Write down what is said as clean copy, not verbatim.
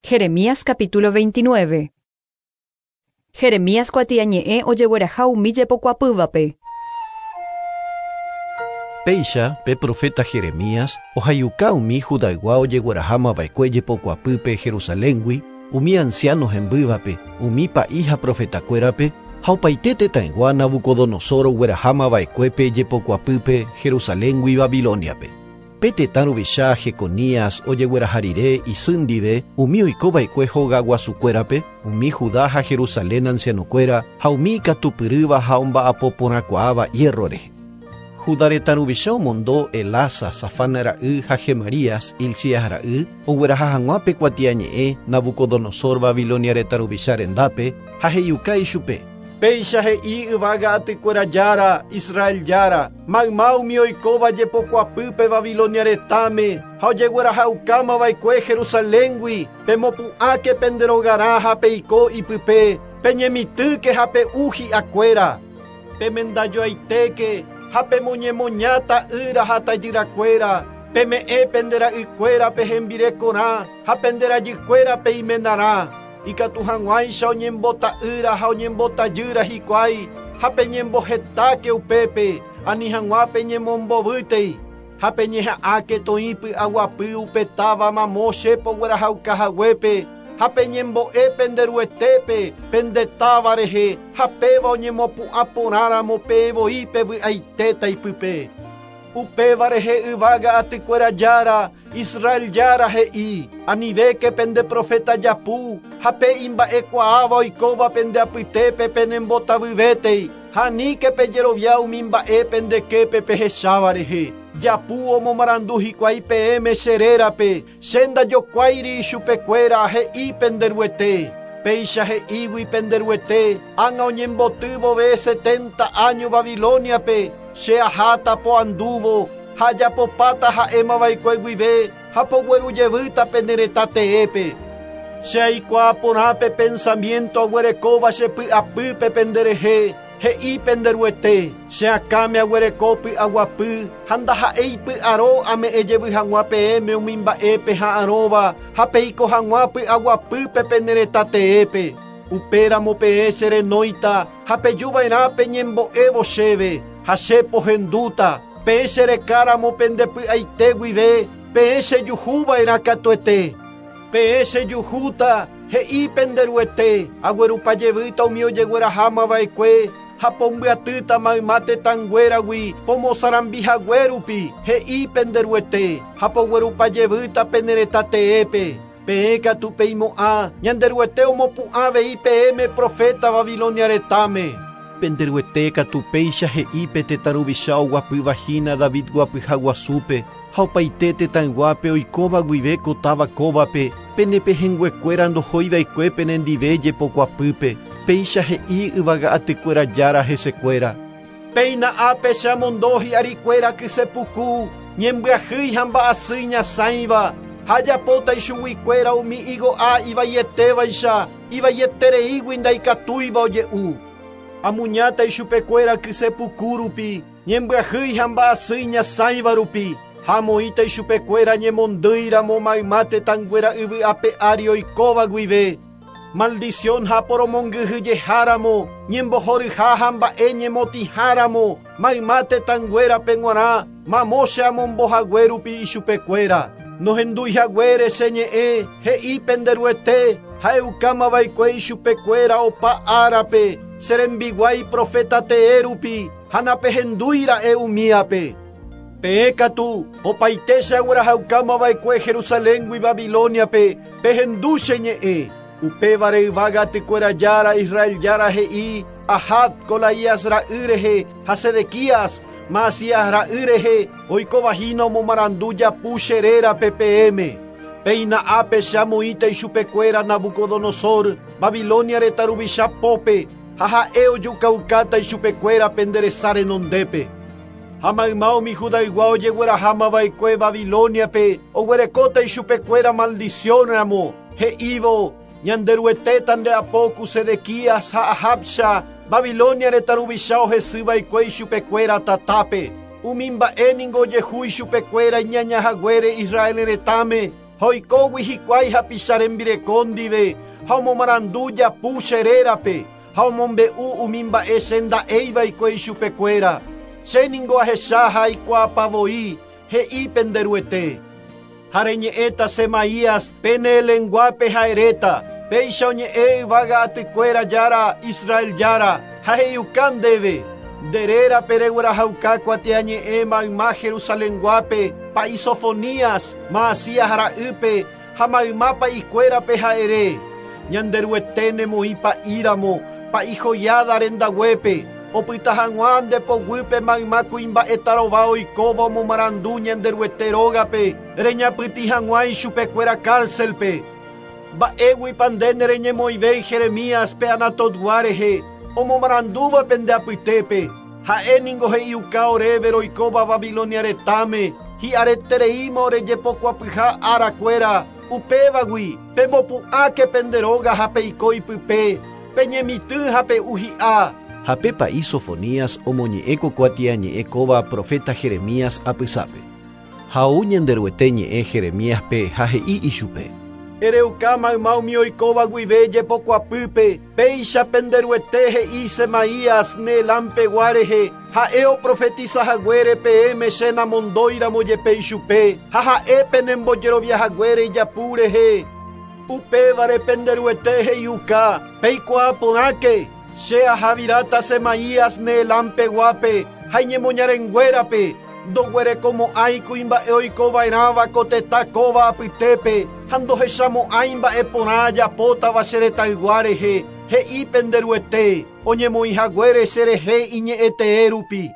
Jeremías capítulo 29. Jeremías kuatiañe'ẽ ojegueraha umi jepokuapývape. Péicha pe proféta Jeremías ohaiuka umi Judaygua ojeguerahámava'ekue jepokuapýpe Jerusaléngui, umi ansiáno hembývape, umi pa'i ha profetakuérape, ha opaite tetãygua Nabucodonosor oguerahámava'ekuépe jepokuapýpe Jerusaléngui Babilóniape. Pe tetã ruvicha Jeconías ojegueraha rire isy ndive umi oikova'ekue hogaguasukuérape, umi Judá ha Jerusalén ancianokuéra ha umi ikatupyrýva ha omba'apo porãkuaáva hierro rehe. Judá retã ruvicha omondo Elasa, Safán ra'y ha Gemarías, Hilcías ra'y, ogueraha hag̃ua pe kuatiañe'ẽ Nabucodonosor Babilonia retã ruvicha rendápe ha he'iuka ichupe. Péicha he'i yvága atykuéra Jára, Israel Jára, mayma umi oikóva jepokuapýpe Babilonia retãme ha ojeguerahaukámava'ekue Jerusaléngui, pemopu'ãke pende rogarã ha peiko ipype, peñemitỹke ha pe'u hi'akuéra. Pemendajoaitéke ha pemoñemoña ta'ýra ha tajyrakuéra, peme'ẽ pende ra'ykuérape hembirekorã ha pende rajykuérape imenarã. Ikatu hag̃uáicha oñembota'ýra ha oñembotajýra hikuái ha peñembohetáke upépe, ani hag̃ua peñemombovýtei ha peñeha'ãke toĩ py'aguapy upe táva mamo che poguerahaukahaguépe ha peñembo'e pende Ruetépe pende táva rehe ha péva oñemopu'ã porãramo peẽ voi pevy'aitéta ipype. Upéva rehe yvága atykuéra Jára, Israel Jára he'i, anivéke pende proféta japu ha pe imba'ekuaáva oikóva pende apytépe penembotavyvétei, ha aníke pejerovia umi mba'e pende képe pehecháva rehe. Japu omomarandu hikuái peẽme che rérape, che ndajokuáiri ichupekuéra he'i pende Ruete. Péicha he'ígui pende Ruete, ág̃a oñemboty vove setenta áño Babilóniape, che aháta poandúvo ha ajapopáta ha'émava'ekue guive ha poguerujevýta pene retã teépe. Che aikuaa porã pe pensamiento aguerekóva che py'apýpe pende rehe, he'i pende Ruete, che akãme aguereko py'aguapy ha ndaha'éi py'aro ame'ẽ jevy hag̃ua peẽme umi mba'e peha'arõva ha peiko hag̃ua py'aguapýpe pene retã teépe. Upéramo peẽ che renóita ha pejuva'erã peñembo'évo chéve ha che pohendúta, peẽ che rekáramo pende py'aite guive, peẽ chejuhuva'erã katuete. Peẽ chejuhúta, he'i pende Ruete, aguerupa jevýta umi ojeguerahámava'ekue ha pombyatýta mayma tetãnguéragui pomosarambihague rupi, he'i pende Ruete, ha poguerupa jevýta pene retã teépe. Peẽ katu peimo'ã, Ñanderuete omopu'ã avei peẽme proféta Babilonia retãme. Pende Ruete katu péicha he'i pe tetã ruvicha oguapýva hína David guapyha guasúpe ha opaite tetãyguápe oikóva guive ko táva kóvape, pene pehẽnguekuéra ndohóiva'ekue penendive jepokuapýpe, péicha he'i yvága atykuéra Jára hesekuéra. Péina ápe che amondo hi'arikuéra kyse puku, ñembyahýi ha mba'asy iñasãiva, ha ajapóta ichuguikuéra umi igo'a ivaietévaicha, ivaietereígui ndaikatúiva oje'u. Amuñáta ichupekuéra kyse puku rupi, ñembyahýi ha mba'asy iñasãiva rupi, ha amoĩta ichupekuéra ñemondýiramo mayma tetãnguéra yvy ape ári oikóva guive. Maldición ha poromongyhyjeháramo, ñembohoryha ha mba'e ñemotĩháramo, mayma tetãnguérape g̃uarã, mamo che amombohague rupi ichupekuéra. Nohendúihaguére che ñe'ẽ, he'i pende Ruete, ha'eukámava'ekue ichupekuéra opa árape, che rembiguái proféta tee rupi, ha napehendúira'e umíape. Peẽ katu, opaite che aguerahaukámava'ekue Jerusaléngui Babilóniape, pehendu che ñe'ẽ. Upévare yvága atykuéra Jára, Israel Jára he'i, Ahab, Colaías ra'y rehe, ha Sedequías, Maasías ra'y rehe, oikovahína omomarandu japu che rérape peẽme. Péina ápe che amoĩta ichupekuéra Nabucodonosor, Babilonia retã ruvicha pópe, ha ha'e ojukaukáta ichupekuéra pende resa renondépe. Ha mayma umi Judaygua ojeguerahámava'ekue Babilóniape oguerekóta ichupekuéra maldición ramo, he'ívo, Ñanderuetéta nde apo ku Sedequías ha Ahabcha, Babilonia retã ruvicha ohesýva'ekue ichupekuéra tatápe. Umi mba'e ningo ojehu ichupekuéra iñañahaguére Israel retãme. Ha oikógui hikuái hapicha rembireko ndive ha omomarandu japu che rérape ha omombe'u umi mba'e che nda'éiva'ekue ichupekuéra. Che ningo ahecha ha aikuaapavoi he'i pende Ruete. Ha reñe'ẽta Semaías pene lenguape ha eréta, péicha oñe'ẽ yvága atykuéra jára Israel jára ha he'iuka ndéve. Nde rérape reguerahauka kuatiañe'ẽ mayma Jerusalenguápe, pa'i Sofonías, Maasías ra'ýpe ha mayma pa'ikuérape ha ere. Ñanderuete nemoĩ pa'íramo, pa'i Joiada rendaguépe, opyta hag̃ua nde poguýpe mayma kuimba'e tarova oikóva omomarandu Ñanderuete rógape, reñapytĩ hag̃ua ichupekuéra cárcelpe. Mba'éguipa nde nereñemoĩvéi Jeremías pe Anatotgua rehe, omomarandúva pende apytépe. Ha'e ningo he'iuka oréve roikóva Babilonia retãme, hi'aretereíma orejepokuapyha arakuéra, upévagui pemopu'ãke pende róga ha peiko ipype, peñemitỹ ha pe'u hi'a. Ha pe pa'i Sofonías omoñe'ẽ ko kuatiañe'ẽ kóva profeta Jeremías apysápe. Ha ou Ñanderuete ñe'ẽ Jeremíaspe ha he'i ichupe. Ereuka mayma umi oikóva guive jepokuapýpe, péicha pende Ruete he'i Semaías Neelampegua rehe, ha'e oprofetizahaguére peẽme che namondóiramo jepe ichupe, ha ha'e penembojeroviahaguére ijapu rehe. Upévare pende Ruete he'iuka, peikuaa porãke, che ahaviráta Semaías Neelampeguápe ha iñemoñarenguérape, ndoguerekomo'ãi kuimba'e oikova'erãva ko tetã kóva apytépe, ha ndohechamo'ãi mba'e porã ajapótava che retãygua rehe, he'i pende Ruete, oñemoĩhaguére cherehe iñe'ẽtee rupi.